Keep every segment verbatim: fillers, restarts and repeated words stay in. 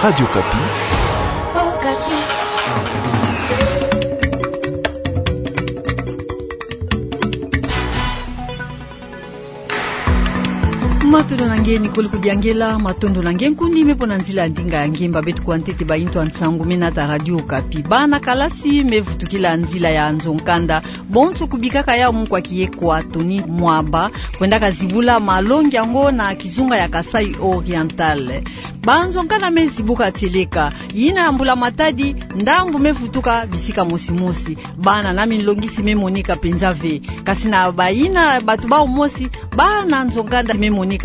Radio Okapi. Matondo na nge, Nicole Kudiangela. Matondo na nge, nkundi me pona nzila ya ndinga ya nge. Mba beto kwa ntete ba intu ya nsangu me nata Radio Okapi. Bana kalasi me vutukila nzila ya nzo-nkanda bonso kubikaka yau munu kwa kiye kwa Tony Mwaba, kwendaka zibula malongi yango na kizunga ya Kasaï Oriental. Banzo-nkanda me zibuka tieleka. Yina ya mbula matadi, ndambu me vutuka bisika mosi mosi. Bana na minlongisi me monika penza ve. Kasi na bayina batu bau mosi, bana nzo-nkanda me monika.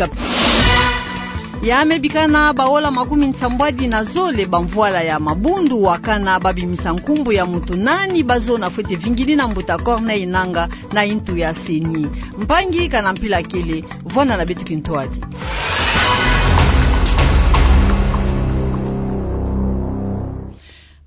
Ya me bikana baola makumi nsambwadi na zole bamvwala ya mabundu, wakana babimisa nkumbu ya moto nani bazona fwete vingini na mbuta Corneille Nangaa na intu ya CENI. Mpangi, kana mpila kele, vwanda na beto kintwadi.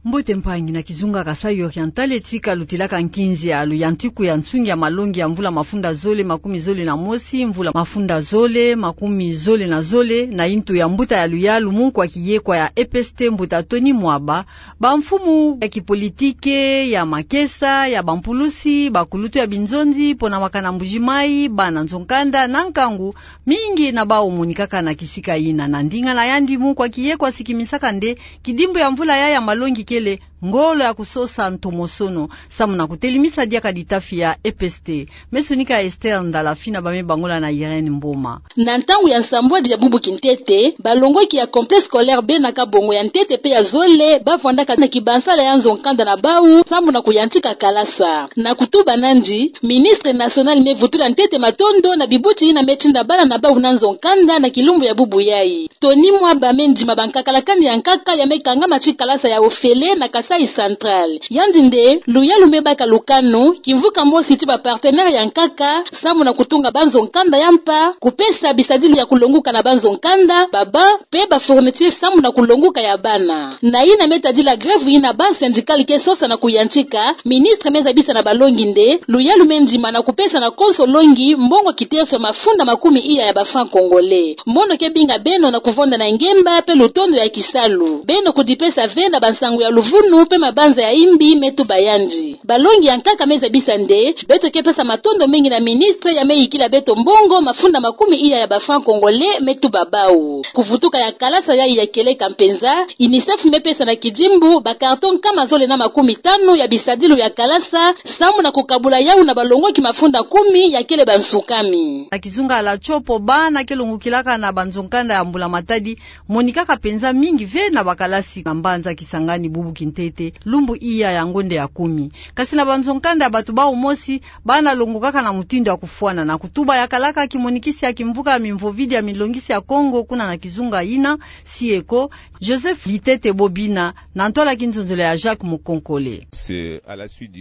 Mbote mpangi. Na kizunga Kasaï Oriental, tika lutilaka nkinzi ya luyantiku ya nsungi ya malongi ya mvula mafunda zole makumi zole na mosi, mvula mafunda zole makumi zole na zole, na intu ya mbuta ya luyalu munu kwa kiye kwa ya EPST, mbuta Tony Mwaba, bamfumu ya kipolitike, ya makesa, ya bampulusi, bakulutu ya binzonzi pona wakana Mbuji-Mayi, bana nzo-nkanda na nkangu mingi na bau monikaka na kisika yina. Na ndinga na yandi, munu kwa kiye kwa sikimisaka nde kidimbu ya mvula ya ya malongi kele ngolo ya kusosa ntomosono, samu na kutelimisa diaka ditafi ya EPST. Me sonika Esther Ndala Fina, ba me bangola na Irène Mboma. Na ntangu ya nsambwadi ya bubu kintete, balongoki ya complexe scolaire Bena Kabongo ya ntete pe ya zole bavwandaka na kibansala ya nzo-nkanda na bau samu na kuyantika kalasa. Na kutuba nandi, ministre national me vutula ntete matondo na bibuti yina me tinda bana na bau na nzo-nkanda na kilumbu ya bubu yayi. Tony Mwaba me ndima bankakalakani ya nkaka ya me kangama ti kalasa ya ofele na Kasaï Central. Yandi nde luyalu me baka lukanu kimvuka mosi ti bapartenaire ya nkaka samu na kutunga banzo-nkanda ya mpa, kupesa bisadilu ya kulonguka na banzo-nkanda, ba banc pe bafourniture samu na kulonguka ya bana. Na yina me tadila grève yina banc syndical ke sosa na kuyantika, ministre me zabisa na balongi nde luyalu me ndima na kupesa na konso longi mbongo kiteso ya mafunda makumi iya ya ba francs congolais. Mono ke binga beno na kuvonda na ngemba pe lutondo ya kisalu. Beno kudipesa ve na bansangu ya luvunu pe mabanza ya imbi, me tuba yandi. Balongi ya nkaka me zabisa nde beto ke pesa matondo mingi na ministre ya me yikila beto mbongo mafunda makumi iya ya ba francs congolais, me tuba bau. Kuvutuka ya kalasa yayi ya kieleka mpenza, UNICEF me pesa na kidimbu ba carton nkama zole na makumi tanu ya bisadilu ya kalasa samu na kukabula yau na balongoki mafunda kumi ya kele bansukami. Na kizunga ya La Tshopo, bana ke longokilaka na banzo-nkanda ya mbula matadi monikaka mpenza mingi ve na bakalasi na mbanza Kisangani bubu kintete, lumbu iya ya ngonde ya kumi. Kasi na banzo-nkanda ya bato bau mosi, bana longokaka na mutindu ya kufwana. Na kutuba ya kalaka kimonikisi ya kimvuka ya mimvovidi ya milongisi ya Kongo kuna na kizunga yina, SIECO, Joseph Litete Bobina, na ntwala kinzonzolo ya Jacques Mukonkole.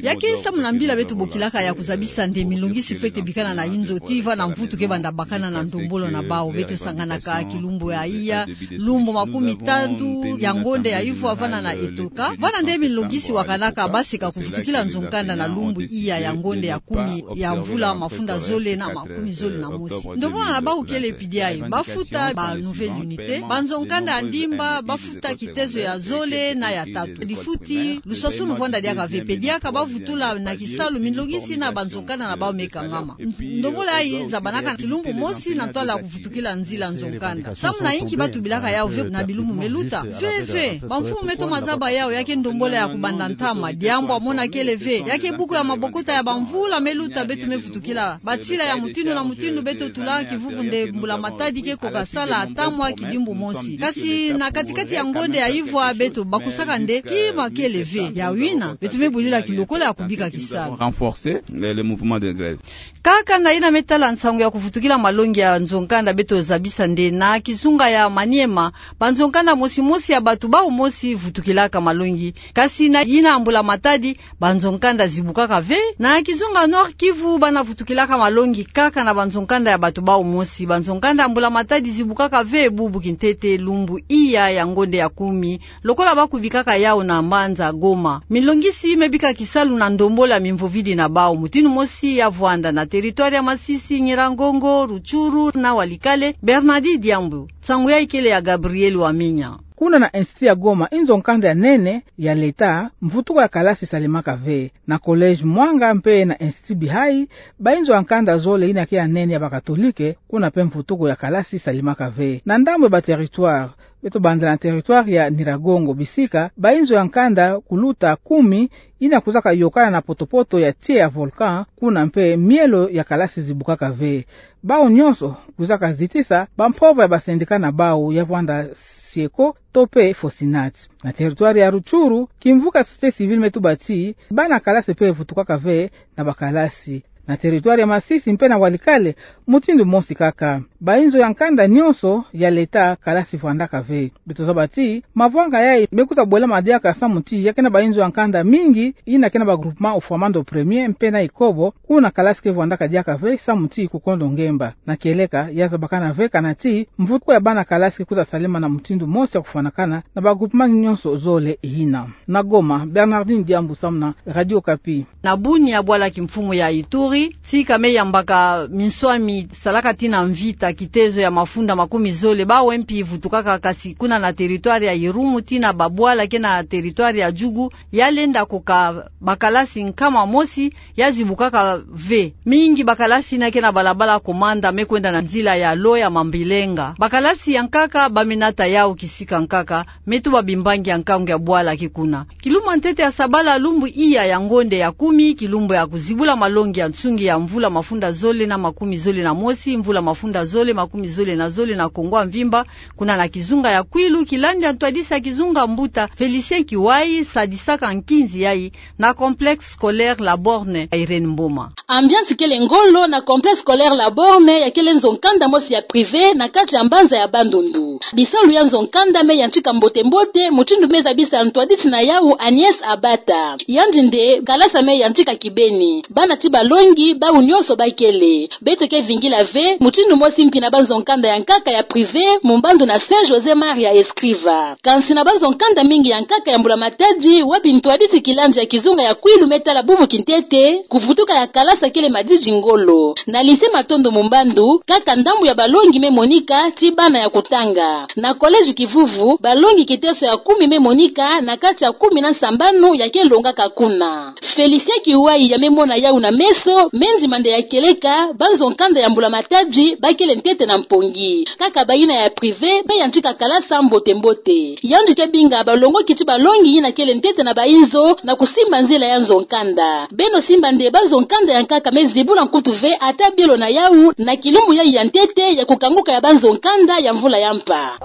Ya ke samu na mbila beto bokilaka ya kuzabisa nde milongisi fwete bikana na inzo tii vana mvutu ke banda bakana na ndombolo na bau. Beto sanganaka kilumbu ya iya, lumbu makumi tatu ya ngonde ya ivwa vana na etoka. Vana nde milongisi wakanaka baseka kuvutukila nzo-nkanda na lumbu iya ya ngonde ya kumi ya mvula mafunda zole na makumi zole na mosi. Ndombolo na bau kele pidi ayi, bafuta ba nouvelle unité, banzo-nkanda ya ndimba bafuta kitezo ya zole na ya tatu. Difuti luswaswanu vwanda diaka ve, pe diaka bavutula na kisalu milongisi na banzo-nkanda na bau me kangama. Ndombolo yayi zabanaka kilumbu mosi na ntwala kuvutukila nzila nzo-nkanda. Samu na inki batubilaka yau ve na bilumbu me luta? Ve, ve. Bamfumu me toma zaba yau, ya ke ndombolo ya kubanda ntama, diambu ya mona kele ve. Ya ke buku ya mabokota ya bamvula me luta beto me vutukila. Batsila ya mutindu na mutindu beto tula kivuvu nde mbula matadi ke koka sala ata mwa kidimbu mosi. Kasi na kati-kati ya ngonde ya ivwa beto bakusaka nde kima kele ve. Yau yina, beto me bwilila kilokola ya kubika kisalu. Renforcer le, le mouvement de grève. Kaka na yina me tala nsangu ya kuvutukila malongi ya nzo-nkanda, beto zabisa nde na kizunga ya Maniema, banzo-nkanda mosi-mosi ya bato bau mosi vutukilaka malongi. Kasi na yina mbula matadi, banzo-nkanda zibukaka ve. Na kizunga Nord-Kivu, bana vutukilaka malongi kaka na banzo-nkanda ya bato bau mosi. Banzo-nkanda ya mbula matadi zibukaka ve bubu kintete, lumbu iya ya ngonde ya kumi, lokola bakubikaka yau na mbanza Goma. Milongisi me bika kisalu na ndombolo ya mimvovidi na bau. Mutindu mosi ya vwanda na territoire ya Masisi, Nyiragongo, Rutshuru na Walikale. Bernardi Diambu. Nsangu yayi kele ya Gabriel Wamenya. Kuna na Institut ya Goma, inzo nkanda ya nene ya leta, mvutuko ya kalasi salemaka ve. Na Collège Mwanga mpe na Institut Bihai, bainzo ya nkanda zole ina ke ya nene ya bakatolike, kuna mpe mvutuko ya kalasi salemaka ve. Na ndambu ya ba territoire, beto bandela na territoire ya Nyiragongo, bisika bainzo ya nkanda kuluta kumi ina kwizaka yokana na potopoto ya tiya ya volcan, kuna mpe mielo ya kalasi zibukaka ve. Bawu nyonso kwizaka zitisa bampova ya ba syndicat na bawu ya vwanda Sieko to mpe Fosinat. Na territoire ya Rutshuru, kimvuka société civile me tuba ti bana kalasi mpe vutukaka ve na bakalasi. Na territoire ya Masisi mpe na Walikale, mutindu mosi kaka. Bainzo ya nkanda nyonso ya leta, kalasi vwandaka ve. Beto zaba ti mavwanga yayi me kwiza bolama diaka samu ti ya ke na bainzo ya nkanda mingi ina ke na ba groupement Ofamando premier mpe na Ikobo, kuna kalasi ke vwandaka diaka ve samu ti kukondo ngemba. Na kieleka, ya zabakana ve kana ti mvutuko ya bana kalasi ke kwiza salema na mutindu mosi ya kufwanakana na ba groupement nyonso zole ina. Na Goma, Bernardine Diambu samu na Radio Okapi. Na Bunia, bwala kimfumu ya Ituri, tika me yambaka minswami salaka tina mvita, kitezo ya mafunda makumi zole, bawu mpi vutukaka, kasi kuna na territoire ya Irumu tina babwala ke na territoire ya Djugu, ya lenda koka bakalasi nkama mosi, ya zibukaka ve. Mingi bakalasi ina ke na balabala Komanda me kwenda na nzila ya Loya Mambilenga. Bakalasi ya nkaka ba me nata yawu kisika nkaka, me tuba bimbangi ya nkangu ya bwala ke kuna. Kilumbu ya ntete ya sabala, lumbu iya ya ngonde ya kumi, kilumbu ya kuzibula malongi ya nsungi ya mvula mafunda zole na makumi zole na mosi, mvula mafunda zole makumi zole na zole na Kongo ya mvimba, kuna na kizunga ya Kwilu, kilandi ya ntwadisi ya kizunga mbuta Félicien Kiwai sadisaka nkinzi yayi na complexe scolaire La Borne. Irène Mboma. Ambiance kele ngolo na complexe scolaire La Borne, ya kele nzo nkanda mosi ya privé na kati ya mbanza ya Bandundu. Bisalu ya nzo nkanda me yantika mbote-mbote, mutindu me zabisa ntwadisi na yawu Agnès Abata. Yandi nde kalasa me yantika kibeni. Bana ti balongi, bawu nyonso ba kele. Beto ke vingila ve mutindu mosi mpi na banzo nkanda ya nkaka ya privé, mu mbandu na Saint José Maria Escrivá. Kansi na banzo nkanda mingi ya nkaka ya mbula matadi, wapi ntwadisi kilandi ya kizunga ya Kwilu me tala bubu kintete, kuvutuka ya kalasa kele madidi ngolo. Na lycée Matondo mu mbandu, kaka ndambu ya balongi me monika, ti bana ya kutanga. Na collège Kivuvu, balongi kiteso ya kumi me monika, na kati ya kumi na nsambanu ya ke longaka kuna. Félicien Kiwai ya me mona yawu na meso, me ndima nde ya kieleka, banzo nkanda ya mbula matadi ba kele ntete na mpongi. Kaka bayina ya privé me yantika kalasa mbote-mbote. Yandi ke binga balongoki ti balongi yina kele ntete na bainzo na kusimba nzila ya nzo nkanda. Beno simba nde banzo nkanda ya nkaka me zibula nkutu ve ata bielo na yawu na kilumbu yayi ya ntete ya kukanguka ya banzo nkanda ya mvula ya mpa.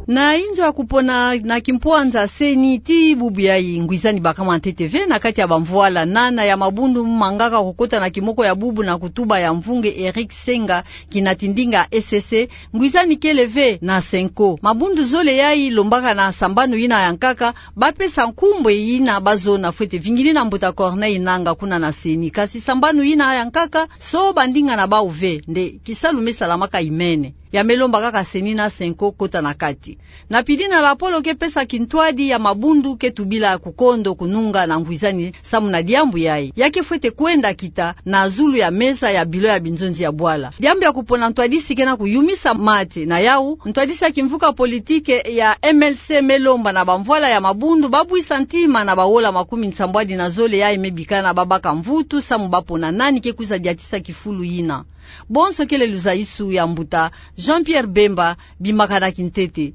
Na inzo ya kupona na kimpwanza CENI, tii bubu yayi ngwizani bakama ntete ve na kati ya bamvwala nana ya mabundu mangaka kukota na kimoko ya bubu na kutuba ya mvunge Eric Senga, kinati ndinga SEC, ngwizani kele ve na CENCO. Mabundu zole yayi lombaka na sambanu yina ya nkaka bapesa nkumbu yina bazona fwete vingini na mbuta Corneille Nangaa kuna na CENI. Kasi sambanu yina ya nkaka, so bandinga na bawu ve, nde kisalu me salamaka imene. Ya me lomba kaka CENI na CENCO kota na kati. Na pili na lapolo ke pesa kintwadi ya mabundu ke tubila kukondo kununga na ngwizani samu na diambu yayi. Ya ke fwete kwenda kita na zulu ya mesa ya bilo ya binzonzi ya bwala. Diambu ya kupona ntwadisi ke na kuyumisa mate. Na yawu, ntwadisi ya kimvuka politike ya MLC me lomba na bamvwala ya mabundu babwisa ntima na bawola makumi nsambwadi na zole yayi me bikana babaka mvutu samu bapona nani ke kwiza diatisa kifulu yina. Bonso kele luzaisu ya mbuta Jean-Pierre Bemba, bimakana kintete.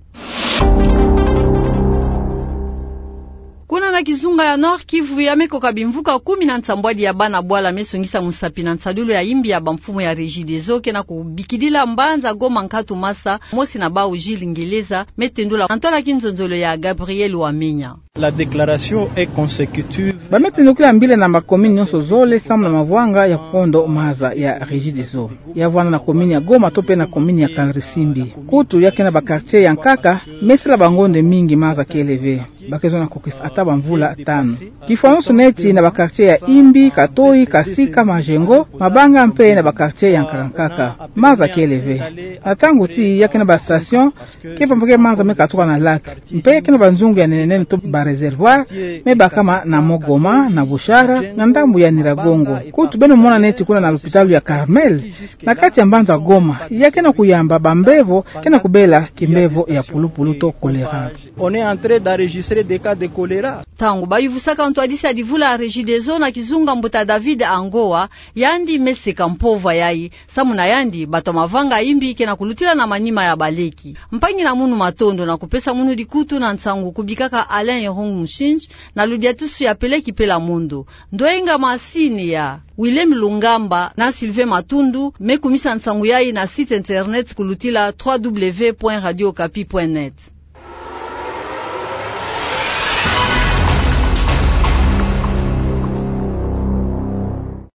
Kuna na kizunga ya Nord-Kivu, ya me koka bimvuka kumi na nsambwadi ya bana bwala me songisa musapi na nsadulu ya imbi ya bamfumu ya Regideso ke na kubikidila mbanza Goma nkatu masa, mosi na bawu Gilles Ngeleza me tendula na ntwala kinzonzolo ya Gabriel Wamenya. La déclaration est consécutive. Ba me tendukila mbila na ba commune nyonso zole samu na mavwanga ya kukondo maza ya Regideso. Ya vwanda na commune ya Goma to mpe na commune ya Kangrisimbi. Kutu ya ke na ba quartier ya nkaka me sala bangonde mingi maza kele ve. Ba ke zona kokisa ata bamvula tanu. Kifwanusu neti na ba quartier ya Imbi, Katoyi, Kasika, Majengo, Mabanga mpe na ba quartier ya nkaka nkaka. Maza kele ve. Na ntangu ti ya ke na ba station, ke pambuke maza me katuka na lac. Mpe ke na banzungu ya nene nene to ba réservoir me bakama na moko. Goma, na Bushara, na ndambu ya Nyiragongo. Kutu beno mona neti kuna na lupitalu ya Carmel, na kati ya mbanza Goma, ya kena kuyamba bambevo kena kubela kimbevo ya pulupulu to kolera. On est en train d'enregistrer des cas de choléra. Ntangu bayuvusaka ntwadisi ya divula ya Regideso na kizunga, mbuta David Angoa, yandi me seka mpova yayi, samu na yandi bato ya mavanga imbi kena kulutila na manima ya baleki. Mpangi na munu, matondo na kupesa munu dikutu na nsangu kubikaka Alain Yehong Mushinji na ludiatusu ya Peleki Pela Mondo. Ndwenga masini ya Willem Lungamba na Sylvain Matundu me kumisa nsangu yayi na site internet kulutila trois W point radio okapi point net.